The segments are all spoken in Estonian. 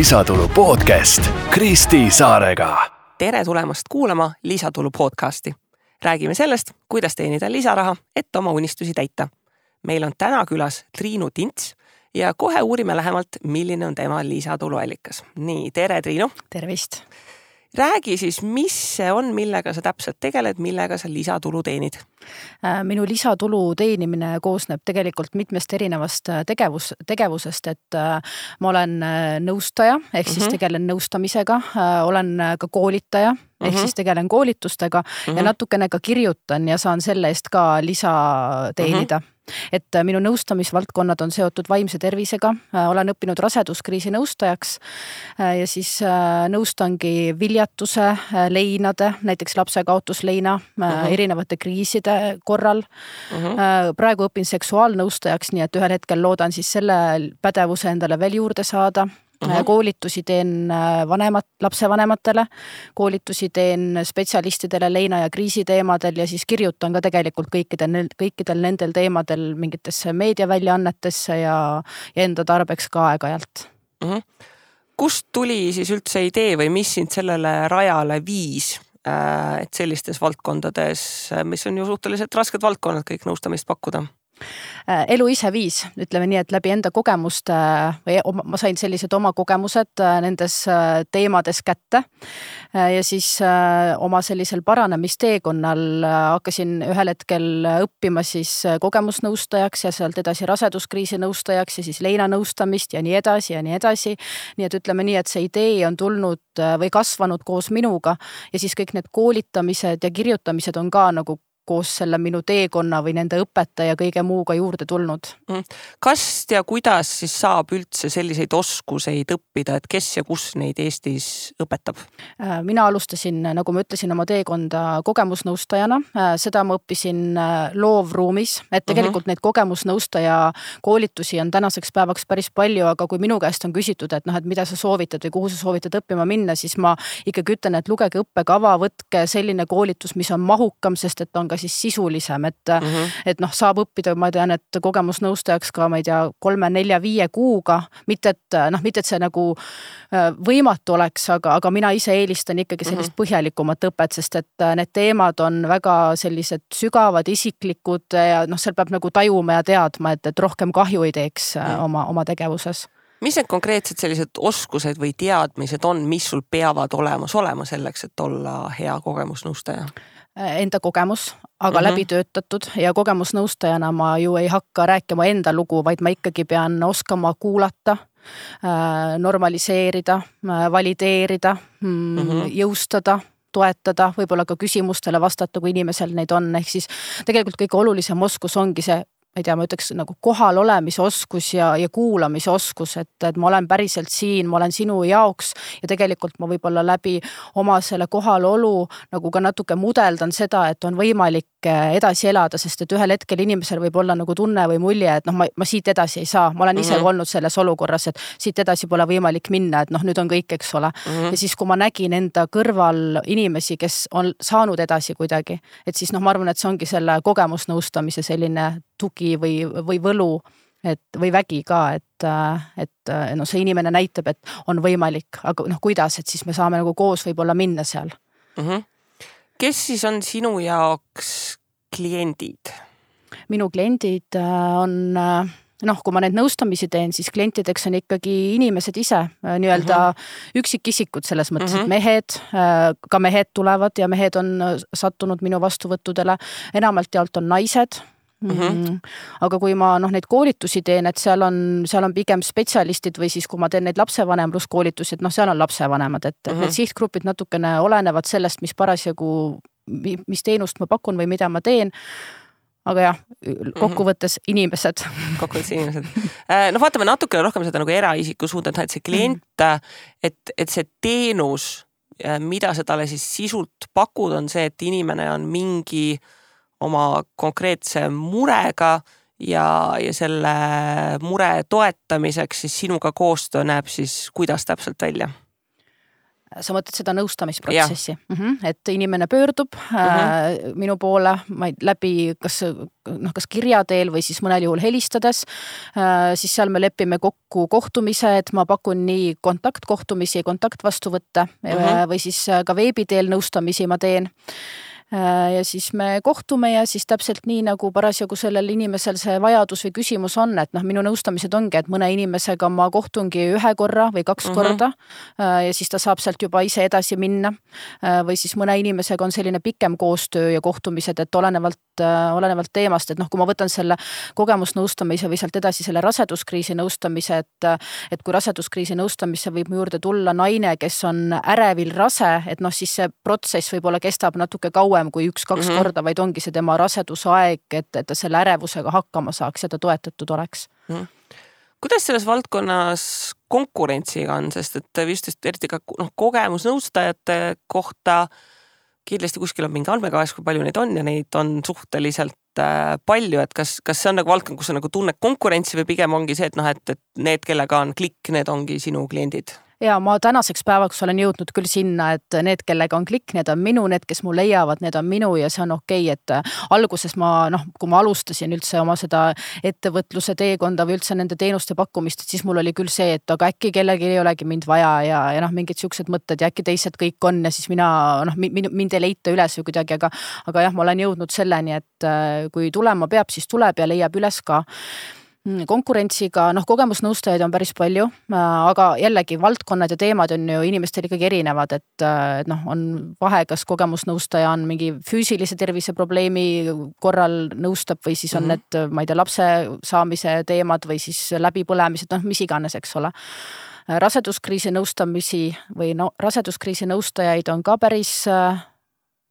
Lisatulu podcast Kristi Saarega. Tere tulemast kuulama Lisatulu podcasti. Räägime sellest, kuidas teenida lisaraha, et oma unistusi täita. Meil on täna külas Triinu Tints ja kohe uurime lähemalt, milline on tema lisatuluallikas. Nii, tere Triinu. Tervist. Räägi siis, mis see on, millega sa täpselt tegeled, millega sa lisatulu teenid? Minu lisatulu teenimine koosneb tegelikult mitmest erinevast tegevusest, et ma olen nõustaja, ehk siis tegelen nõustamisega, olen ka koolitaja, ehk siis tegelen koolitustega ja natukene ka kirjutan ja saan selle eest ka lisa teenida. Et minu nõustamisvaldkonnad on seotud vaimse tervisega, olen õppinud raseduskriisi nõustajaks ja siis nõustangi viljatuse, leinade, näiteks lapsekaotusleina, erinevate kriiside korral. Praegu õpin seksuaalnõustajaks, nii et ühel hetkel loodan siis selle pädevuse endale veel juurde saada. Koolitusi teen lapsevanematele, koolitusi teen spetsialistidele leina- ja kriisiteemadel ja siis kirjutan ka tegelikult kõikidel nendel teemadel mingitesse meediaväljaannetesse ja enda tarbeks ka aeg-ajalt. Kust tuli siis üldse idee või mis sind sellele rajale viis, et sellistes valdkondades, mis on ju suhteliselt rasked valdkonnad kõik nõustamist pakkuda? Elu ise viis, ütleme nii, et läbi enda kogemuste, või ma sain sellised oma kogemused nendes teemades kätte ja siis oma sellisel paranemisteekonnal hakkasin ühel hetkel õppima siis kogemusnõustajaks ja sealt edasi raseduskriisi nõustajaks ja siis leinanõustamist ja nii edasi ja nii edasi. Nii et ütleme nii, et see idee on tulnud või kasvanud koos minuga ja siis kõik need koolitamised ja kirjutamised on ka nagu koos selle minu teekonna või nende õpeta ja kõige muuga juurde tulnud. Kas ja kuidas siis saab üldse selliseid oskuseid õppida, et kes ja kus neid Eestis õpetab? Mina alustasin, nagu ma ütlesin, oma teekonda kogemusnõustajana. Seda ma õppisin loovruumis, et tegelikult neid kogemusnõustaja koolitusi on tänaseks päevaks päris palju, aga kui minu käest on küsitud, et mida sa soovitad või kuhu sa soovitad õppima minna, siis ma ikkagi ütlen, et lugege õppekava, võtke selline koolitus, mis on mahukam, sest et on ka siis sisulisem, et saab õppida, ma tean, et kogemusnõustajaks ka, ma ei tea, 3, 4, 5 kuuga, mitte et see nagu võimatu oleks, aga mina ise eelistan ikkagi sellist põhjalikumat õpet, sest et need teemad on väga sellised sügavad, isiklikud ja seal peab nagu tajuma ja teadma, et rohkem kahju ei teeks oma tegevuses. Mis need konkreetsed sellised oskused või teadmised on, mis sul peavad olema selleks, et olla hea kogemusnõustaja? Enda kogemus, aga läbi töötatud ja kogemusnõustajana ma ju ei hakka rääkima enda lugu, vaid ma ikkagi pean oskama kuulata, normaliseerida, valideerida, jõustada, toetada, võib-olla ka küsimustele vastata, kui inimesel neid on. Ehk siis tegelikult kõige olulisem oskus ongi see, ma ütleks nagu kohal olemise oskus ja kuulamise oskus, et ma olen päriselt siin, ma olen sinu jaoks ja tegelikult ma võib-olla läbi oma selle kohalolu nagu ka natuke mudeldan seda, et on võimalik edasi elada, sest et ühel hetkel inimesel võib olla nagu tunne või mulje, et ma siit edasi ei saa. Ma olen ise olnud selles olukorras, et siit edasi pole võimalik minna, et nüüd on kõik, eks ole. Ja siis, kui ma nägin enda kõrval inimesi, kes on saanud edasi kuidagi, et siis ma arvan, et see ongi selle kogemusnõustamise selline tugi või võlu või vägi ka, et see inimene näitab, et on võimalik, aga kuidas, et siis me saame nagu koos võib-olla minna seal. Kes siis on sinu jaoks kliendid? Minu kliendid on, kui ma need nõustamisi teen, siis klientideks on ikkagi inimesed ise, nii-öelda üksikisikud selles mõttes, et ka mehed tulevad ja mehed on sattunud minu vastuvõttudele, enamalt jaolt on naised. Aga kui ma neid koolitusi teen, et seal on pigem spetsialistid või siis kui ma teen neid lapsevanemluskoolitusi, et seal on lapsevanemad, et need sihtgrupid natukene olenevad sellest, mis parasjagu, mis teenust ma pakun või mida ma teen. Aga jah, kokkuvõttes inimesed. Vaatame natukene rohkem seda nagu eraisiku suunda, et see klient, et see teenus, mida sa talle siis sisult pakud, on see, et inimene on mingi oma konkreetse murega ja selle mure toetamiseks siis sinuga koostöö näeb siis kuidas täpselt välja? Sa mõtled seda nõustamisprotsessi, et inimene pöördub minu poole läbi kas kirja teel või siis mõnel juhul helistades, siis seal me lepime kokku kohtumise, et ma pakun nii kontaktkohtumisi, kontaktvastuvõtte või siis ka veebi teel nõustamisi ma teen. Ja siis me kohtume ja siis täpselt nii nagu parasjagu sellel inimesel see vajadus või küsimus on, et minu nõustamised ongi, et mõne inimesega ma kohtungi 1 korra või 2 korda ja siis ta saab sealt juba ise edasi minna või siis mõne inimesega on selline pikem koostöö ja kohtumised, et olenevalt teemast, et kui ma võtan selle kogemusnõustamise või sealt edasi selle raseduskriisi nõustamise, et kui raseduskriisi nõustamisse võib mu juurde tulla naine, kes on ärevil rase, et siis see protsess võib-olla kestab natuke kauem kui 1-2 korda, vaid ongi see tema rasedusaeg, et ta selle ärevusega hakkama saaks ja ta toetatud oleks. Kuidas selles valdkonnas konkurentsiga on, sest et vist eriti ka kogemusnõustajate kohta kindlasti kuskil on mingi andmekavas, kui palju neid on ja neid on suhteliselt palju, et kas see on nagu valdkond, kus on nagu tunned konkurentsi või pigem ongi see, et need, kellega on klikk, need ongi sinu kliendid? Ja ma tänaseks päevaks olen jõudnud küll sinna, et need, kellega on klikk, need on minu, need, kes mul leiavad, need on minu ja see on okei, et alguses kui ma alustasin üldse oma seda ettevõtluse teekonda või üldse nende teenuste pakkumist, et siis mul oli küll see, et aga äkki kellelgi ei olegi mind vaja ja mingid siuksed mõtted ja äkki teised kõik on ja siis mind ei leita üles või kuidagi, aga jah, ma olen jõudnud selleni, et kui tulema peab, siis tuleb ja leiab üles ka. Konkurentsiga, kogemusnõustajaid on päris palju, aga jällegi valdkonnad ja teemad on ju inimestel ikkagi erinevad, et on vahe, kas kogemusnõustaja on mingi füüsilise tervise probleemi korral nõustab või siis on need, ma ei tea, lapse saamise teemad või siis läbipõlemised, mis iganes, eks ole. Raseduskriisi nõustamisi või raseduskriisi nõustajaid on ka päris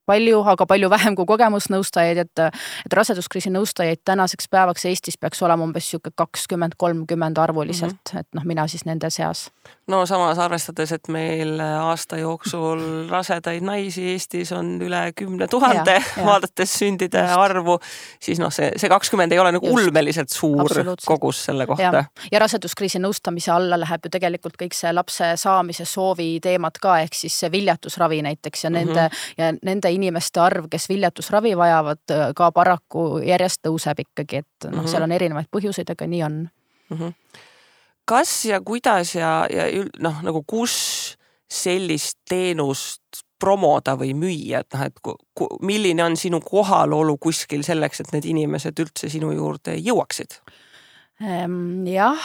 palju, aga palju vähem kui kogemusnõustajaid, et raseduskriisi nõustajaid tänaseks päevaks Eestis peaks olema umbes 20-30 arvuliselt, et mina siis nende seas. No samas arvestades, et meil aasta jooksul rasedaid naisi Eestis on üle 10 000 vaadates sündide arvu, siis see 20 ei ole nagu ulmeliselt suur kogus selle kohta. Ja raseduskriisi nõustamise alla läheb ju tegelikult kõik see lapse saamise soovi teemad ka, ehk siis see viljatusravi näiteks ja nende inimeste arv, kes viljatusravi vajavad, ka paraku järjest tõuseb ikkagi, et seal on erinevaid põhjuseid, aga nii on. Kas ja kuidas ja nagu kus sellist teenust promoda või müüa, et milline on sinu kohalolu kuskil selleks, et need inimesed üldse sinu juurde jõuaksid? Jah,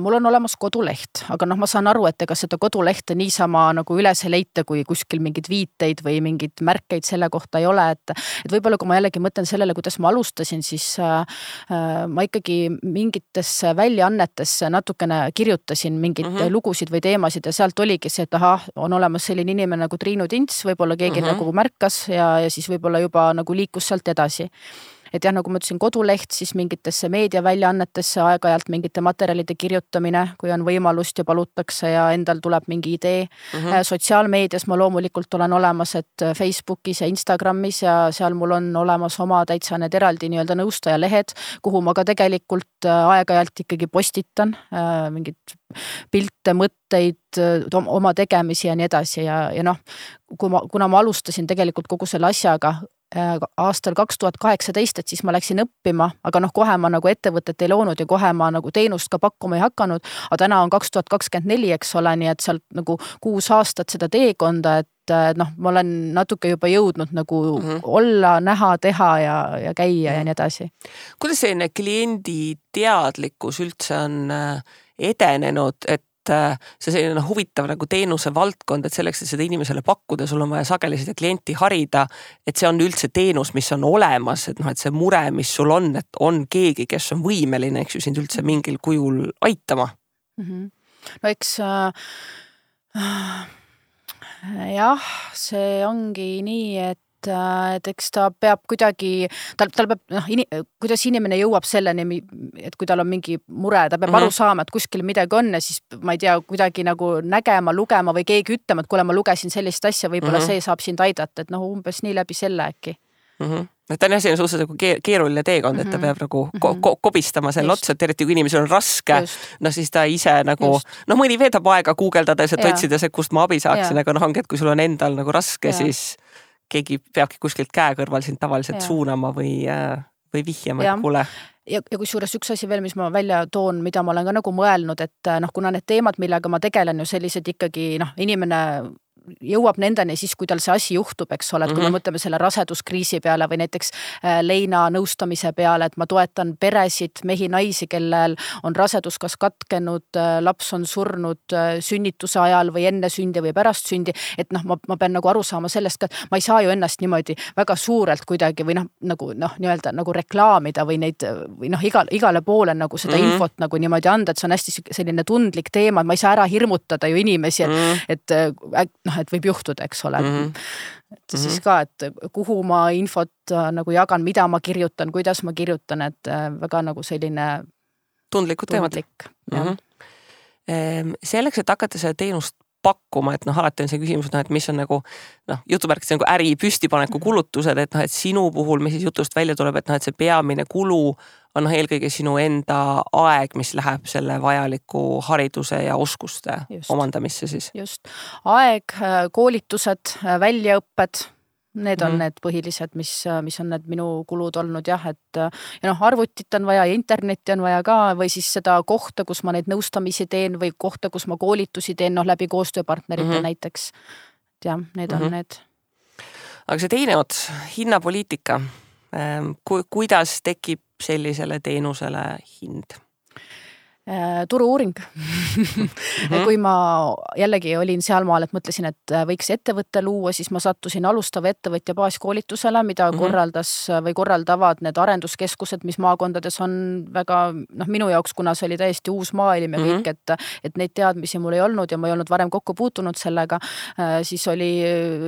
mul on olemas koduleht, aga ma saan aru, et ega seda kodulehte niisama nagu üles leita, kui kuskil mingid viiteid või mingid märkeid selle kohta ei ole, et võib-olla kui ma jällegi mõtlen sellele, kuidas ma alustasin, siis ma ikkagi mingitesse väljaannetesse natukene kirjutasin mingid lugusid või teemasid ja sealt oligi see, et on olemas selline inimene nagu Triinu Tints, võib-olla keegi nagu märkas ja siis võib-olla juba nagu liikus sealt edasi. Et jah, nagu ma ütlesin, koduleht, siis mingitesse meediaväljaannetesse aeg-ajalt mingite materjalide kirjutamine, kui on võimalust ja palutakse ja endal tuleb mingi idee. Sotsiaalmeedias ma loomulikult olen olemas, et Facebookis ja Instagramis ja seal mul on olemas oma täitsa need eraldi nii-öelda nõustajalehed, kuhu ma ka tegelikult aeg-ajalt ikkagi postitan mingid pilte, mõtteid, oma tegemisi ja nii edasi ja kuna ma alustasin tegelikult kogu selle asjaga aastal 2018, et siis ma läksin õppima, aga kohe ma nagu ettevõtet ei loonud ja kohe ma nagu teenust ka pakkuma ei hakanud, aga täna on 2024, eks ole, nii et sealt nagu 6 aastat seda teekonda, et ma olen natuke juba jõudnud nagu olla, näha, teha ja käia ja nii edasi. Kuidas selline kliendi teadlikkus üldse on edenenud, et see selline huvitav nagu teenuse valdkond, et selleks, et seda inimesele pakkuda, sul on vaja sageli seda klienti harida, et see on üldse teenus, mis on olemas, et see mure, mis sul on, et on keegi, kes on võimeline, eks ju, sind üldse mingil kujul aitama. No eks jah, see ongi nii, et eks ta peab kuidagi, tal peab, kuidas inimene jõuab selleni, et kui tal on mingi mure, ta peab aru saama, et kuskil midagi on ja siis ma ei tea, kuidagi nagu nägema, lugema või keegi ütlema, et kuule, ma lugesin sellist asja, võib-olla see saab sind aidata, et umbes nii läbi selle äkki. Ta on jah, see on suhteliselt nagu keeruline teekond, et ta peab nagu kobistama selle otsa, et eriti kui inimesel on raske, no siis ta ise nagu, no mõni veedab aega guugeldades, et otsides, et kust ma abi saaksin, aga ongi, et kui sul on endal nagu raske, siis keegi peabki kuskilt käe kõrval sind tavaliselt suunama või vihjama, et kuule. Ja kusjuures üks asi veel, mis ma välja toon, mida ma olen ka nagu mõelnud, et kuna need teemad, millega ma tegelen ju sellised ikkagi, inimene jõuab nendeni siis, kui tal see asi juhtub, eks ole, et kui me mõtleme selle raseduskriisi peale või näiteks leina nõustamise peale, et ma toetan peresid, mehi, naisi, kellel on rasedus kas katkenud, laps on surnud sünnituse ajal või enne sündi või pärast sündi, et ma pean nagu aru saama sellest ka, et ma ei saa ju ennast niimoodi väga suurelt kuidagi või nii-öelda nagu reklaamida või neid või igale poole nagu seda infot nagu niimoodi anda, et see on hästi selline tundlik teema, et ma ei saa ära hirmutada ju inimesi, et võib juhtuda, eks ole. Et siis ka, et kuhu ma infot nagu jagan, mida ma kirjutan, kuidas ma kirjutan, et väga nagu selline tundlikud teemad. Selleks, et hakata seda teenust pakkuma, et alati on see küsimus, et mis on nagu jutumärkis nagu äri püstipaneku kulutused, et et sinu puhul, mis siis jutust välja tuleb, et see peamine kulu on eelkõige sinu enda aeg, mis läheb selle vajaliku hariduse ja oskuste omandamisse siis. Just. Aeg, koolitused, väljaõpped, need on need põhilised, mis on need minu kulud olnud et arvutit on vaja ja internetti on vaja ka või siis seda kohta, kus ma neid nõustamisi teen või kohta, kus ma koolitusi teen läbi koostööpartnerite näiteks. Ja need on need. Aga see teine ots, hinnapoliitika. Kuidas tekib sellisele teenusele hind? Turu-uuring. Kui ma jällegi olin sealmaal, et mõtlesin, et võiks ettevõtte luua, siis ma sattusin alustava ettevõtja baaskoolitusele, mida korraldas või korraldavad need arenduskeskused, mis maakondades on väga, minu jaoks, kuna see oli täiesti uus maailm ja kõik, et neid teadmisi mul ei olnud ja ma ei olnud varem kokku puutunud sellega, siis oli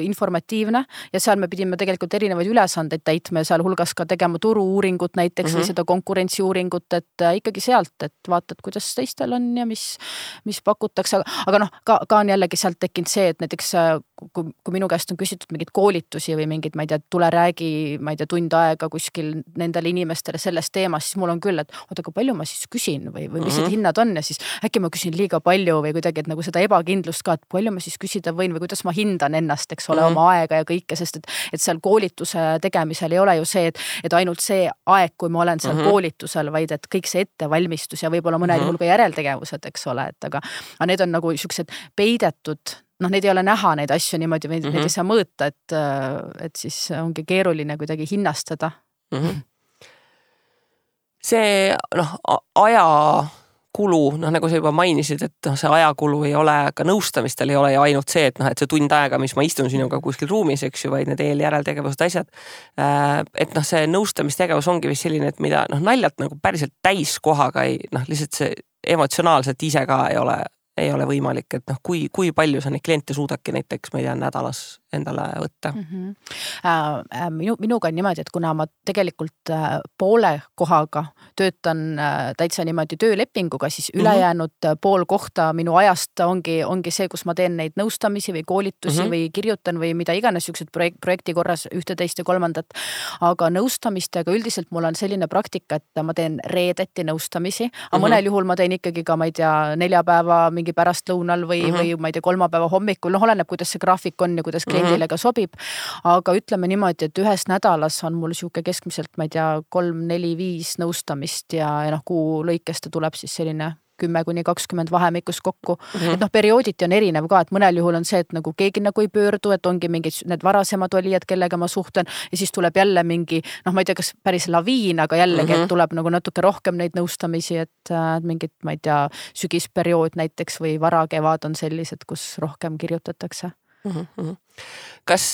informatiivne ja seal me pidime tegelikult erinevaid ülesandeid täitma ja seal hulgas ka tegema turu-uuringut näiteks või seda konkurentsiuuringut, et ikkagi sealt, et vaatad, kuidas teistel on ja mis pakutakse, aga ka on jällegi sealt tekkinud see, et näiteks kui minu käest on küsitud mingid koolitusi või mingid, ma ei tea, tule räägi, ma ei tea, tund aega kuskil nendele inimestele sellest teemast, siis mul on küll, et oota, kui palju ma siis küsin või mis need hinnad on ja siis äkki ma küsin liiga palju või kuidagi, et nagu seda ebakindlust ka, et palju ma siis küsida võin või kuidas ma hindan ennast, eks ole, oma aega ja kõike, sest et seal koolituse tegemisel ei ole ju see, et ainult see aeg, kui ma olen seal koolitusel, vaid et kõik see ettevalmistus ja võib-olla mõnel juhul ka järeltegevused, eks ole, et aga need on nagu siuksed peidetud, neid ei ole näha neid asju niimoodi, neid ei saa mõõta, et siis ongi keeruline kuidagi hinnastada. See ajakulu, nagu sa juba mainisid, et see ajakulu ei ole, ka nõustamistel ei ole ju ainult see, et see tund aega, mis ma istun sinuga kuskil ruumis, eks ju, vaid need eeljäreltegevused asjad. Et see nõustamistegevus ongi vist selline, et mida naljalt nagu päriselt täiskohaga lihtsalt see emotsionaalselt ise ka ei ole võimalik, et kui palju sa neid kliente suudaki näiteks, ma ei tea, nädalas endale võtta? Minuga on niimoodi, et kuna ma tegelikult poole kohaga töötan täitsa niimoodi töölepinguga, siis ülejäänud pool kohta minu ajast ongi see, kus ma teen neid nõustamisi või koolitusi või kirjutan või mida iganes siuksed projekti korras ühte, teist ja kolmandat. Aga nõustamistega üldiselt mul on selline praktika, et ma teen reedeti nõustamisi, aga mõnel juhul ma teen ikkagi ka, ma ei tea, neljapäeva mingi pärastlõunal või ma ei tea, kolmapäeva hommikul, oleneb, kuidas see graafik on ja kuidas kliendile ka sobib, aga ütleme niimoodi, et ühes nädalas on mul siuke keskmiselt, ma ei tea, 3, 4, 5 nõustamist ja kuu lõikest tuleb siis selline 10-20 vahemikus kokku. Et periooditi on erinev ka, et mõnel juhul on see, et nagu keegi nagu ei pöördu, et ongi mingid need varasemad olijad, kellega ma suhtlen ja siis tuleb jälle mingi, ma ei tea, kas päris laviin, aga jällegi, et tuleb nagu natuke rohkem neid nõustamisi, et mingid, ma ei tea, sügisperiood näiteks või varakevad on sellised, kus rohkem kirjutatakse. Kas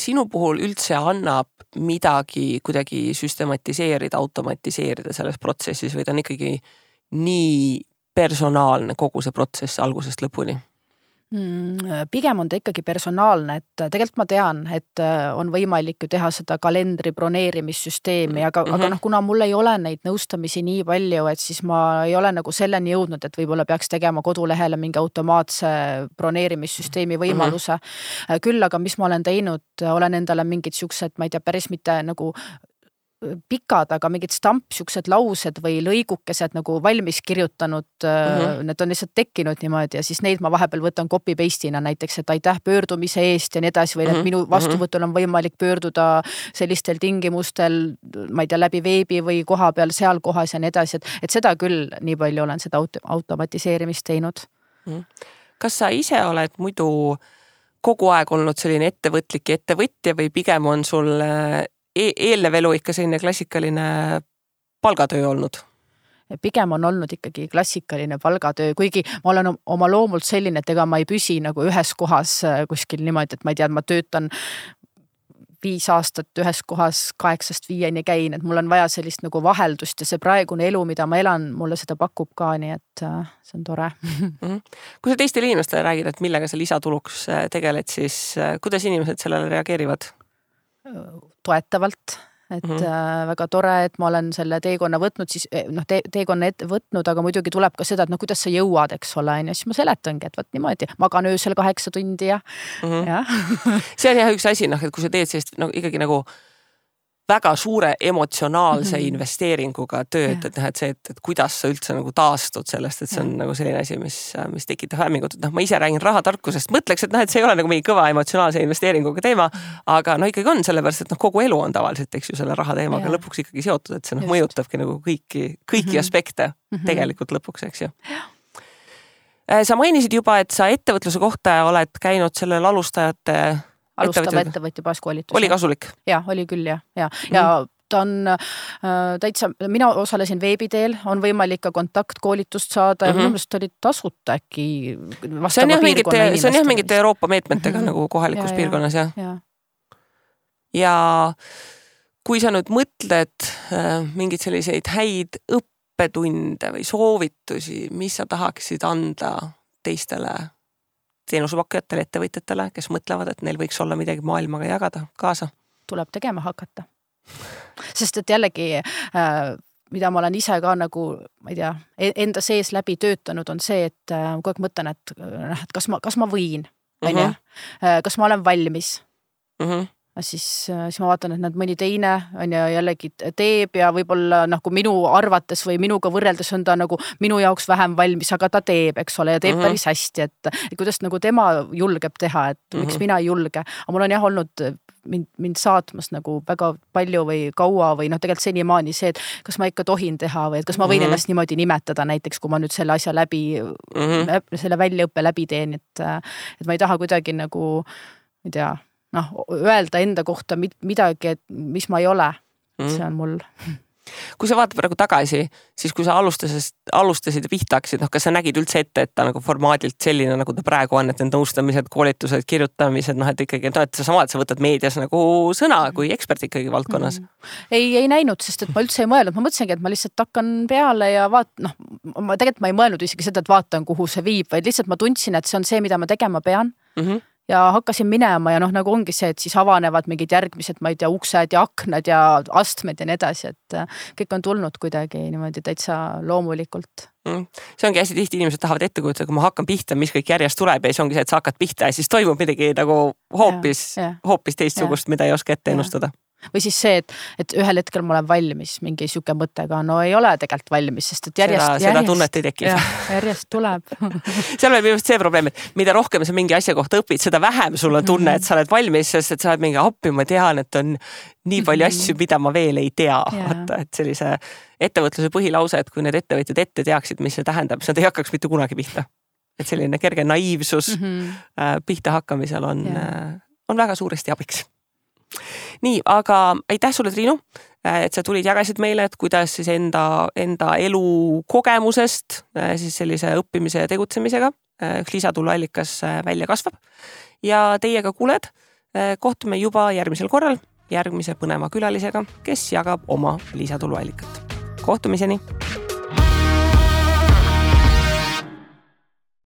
sinu puhul üldse annab midagi kuidagi süstematiseerida, automatiseerida selles protsessis või ta on ikkagi nii personaalne kogu see protsess algusest lõpuni? Pigem on ta ikkagi personaalne, et tegelikult ma tean, et on võimalik ju teha seda kalendri broneerimissüsteemi, aga kuna mul ei ole neid nõustamisi nii palju, et siis ma ei ole nagu selleni jõudnud, et võib-olla peaks tegema kodulehele mingi automaatse broneerimissüsteemi võimaluse. Küll aga mis ma olen teinud, olen endale mingid siuksed, ma ei tea, päris mitte nagu pikad, aga mingid siuksed laused või lõigukesed nagu valmis kirjutanud, need on lihtsalt tekkinud niimoodi ja siis neid ma vahepeal võtan copy paste'ina näiteks, et aitäh pöördumise eest ja nii edasi või et minu vastuvõtul on võimalik pöörduda sellistel tingimustel, ma ei tea, läbi veebi või koha peal seal kohas ja nii edasi, et seda küll nii palju olen seda automatiseerimist teinud. Kas sa ise oled muidu kogu aeg olnud selline ettevõtlik ettevõtja või pigem on sul eelnev elu ikka selline klassikaline palgatöö olnud? Pigem on olnud ikkagi klassikaline palgatöö, kuigi ma olen oma loomult selline, et ega ma ei püsi nagu ühes kohas kuskil niimoodi, et ma ei tea, ma töötan 5 aastat ühes kohas 8-5 käin, et mul on vaja sellist nagu vaheldust ja see praegune elu, mida ma elan, mulle seda pakub ka, nii et see on tore. Kui sa teistele inimestele räägid, et millega sa lisatuluks tegeled, siis kuidas inimesed sellele reageerivad? Toetavalt, et väga tore, et ma olen selle teekonna võtnud, siis teekonna võtnud, aga muidugi tuleb ka seda, et kuidas sa jõuad, eks ole, ja siis ma seletangi, et võt niimoodi, magan öösel 8 tundi ja. See on jah üks asi, et kui sa teed sellist ikkagi nagu väga suure emotsionaalse investeeringuga tööd, et see, et kuidas sa üldse nagu taastud sellest, et see on nagu selline asi, mis tekitab hämmingut. Ma ise räägin rahatarkusest, mõtleks, et see ei ole nagu mingi kõva emotsionaalse investeeringuga teema, aga ikkagi on sellepärast, et kogu elu on tavaliselt, eks ju, selle raha teemaga lõpuks ikkagi seotud, et see mõjutabki nagu kõiki aspekte tegelikult lõpuks, eks ju. Sa mainisid juba, et sa ettevõtluse kohta oled käinud sellel alustava ettevõtja baaskoolitus. Oli kasulik? Ja, oli küll, ja ta on täitsa, mina osalesin veebiteel, on võimalik ka kontaktkoolitust saada ja minu meelest oli tasuta äkki vastava piirkonna inimestele. See on jah mingite Euroopa meetmetega nagu kohalikus piirkonnas, jah. Ja kui sa nüüd mõtled mingid selliseid häid õppetunde või soovitusi, mis sa tahaksid anda teistele teenusepakkujatele, ettevõtjatele, kes mõtlevad, et neil võiks olla midagi maailmaga jagada kaasa? Tuleb tegema hakata. Sest et jällegi, mida ma olen ise ka nagu, ma ei tea, enda sees läbi töötanud, on see, et kogu aeg mõtlen, et kas ma võin, kas ma olen valmis. Siis ma vaatan, et mõni teine on ja jällegi teeb ja võib-olla kui minu arvates või minuga võrreldes on ta nagu minu jaoks vähem valmis, aga ta teeb, eks ole, ja teeb päris hästi, et kuidas nagu tema julgeb teha, et miks mina ei julge. Aga mul on jah olnud mind saatmas nagu väga palju või kaua või tegelikult senimaani see, et kas ma ikka tohin teha või et kas ma võin ennast niimoodi nimetada näiteks, kui ma nüüd selle asja selle väljaõppe läbi teen, et ma ei taha kuidagi nagu, ma ei tea, öelda enda kohta midagi, et mis ma ei ole. See on mul. Kui sa vaatad praegu tagasi, siis kui sa alustasid ja pihta hakkasid, kas sa nägid üldse ette, et ta nagu formaadilt selline, nagu ta praegu on, et need nõustamised, koolitused, kirjutamised, et ikkagi, et sa võtad meedias nagu sõna kui ekspert ikkagi valdkonnas? Ei näinud, sest et ma üldse ei mõelnud. Ma mõtlesingi, et ma lihtsalt hakkan peale ja tegelikult ma ei mõelnud isegi seda, et vaatan, kuhu see viib, vaid lihtsalt ma tundsin, et see on see, mida ma tegema pean. Ja hakkasin minema ja nagu ongi see, et siis avanevad mingid järgmised, ma ei tea, uksed ja aknad ja astmed ja nii edasi, et kõik on tulnud kuidagi niimoodi täitsa loomulikult. See ongi hästi tihti, inimesed tahavad ette kujutada, kui ma hakkan pihta, mis kõik järjest tuleb ja siis ongi see, et sa hakkad pihta ja siis toimub midagi nagu hoopis teistsugust, mida ei oska ette ennustada. Või siis see, et ühel hetkel ma olen valmis mingi siuke mõttega, ei ole tegelikult valmis, sest et seda tunnet ei teki. Järjest tuleb. Seal on just see probleem, et mida rohkem sa mingi asja kohta õpid, seda vähem sul on tunne, et sa oled valmis, sest et sa oled mingi appi, ma tean, et on nii palju asju, mida ma veel ei tea. Et sellise ettevõtluse põhilause, et kui need ettevõtjad ette teaksid, mis see tähendab, siis nad ei hakkaks mitte kunagi pihta. Et selline kerge naiivsus pihta hakkamisel on väga suuresti abiks. Nii, aga aitäh sulle, Triinu, et sa tulid jagasid meile, et kuidas siis enda elu kogemusest siis sellise õppimise ja tegutsemisega üks lisatuluallikas välja kasvab. Ja teiega kuuled, kohtume juba järgmisel korral järgmise põneva külalisega, kes jagab oma lisatuluallikat. Kohtumiseni!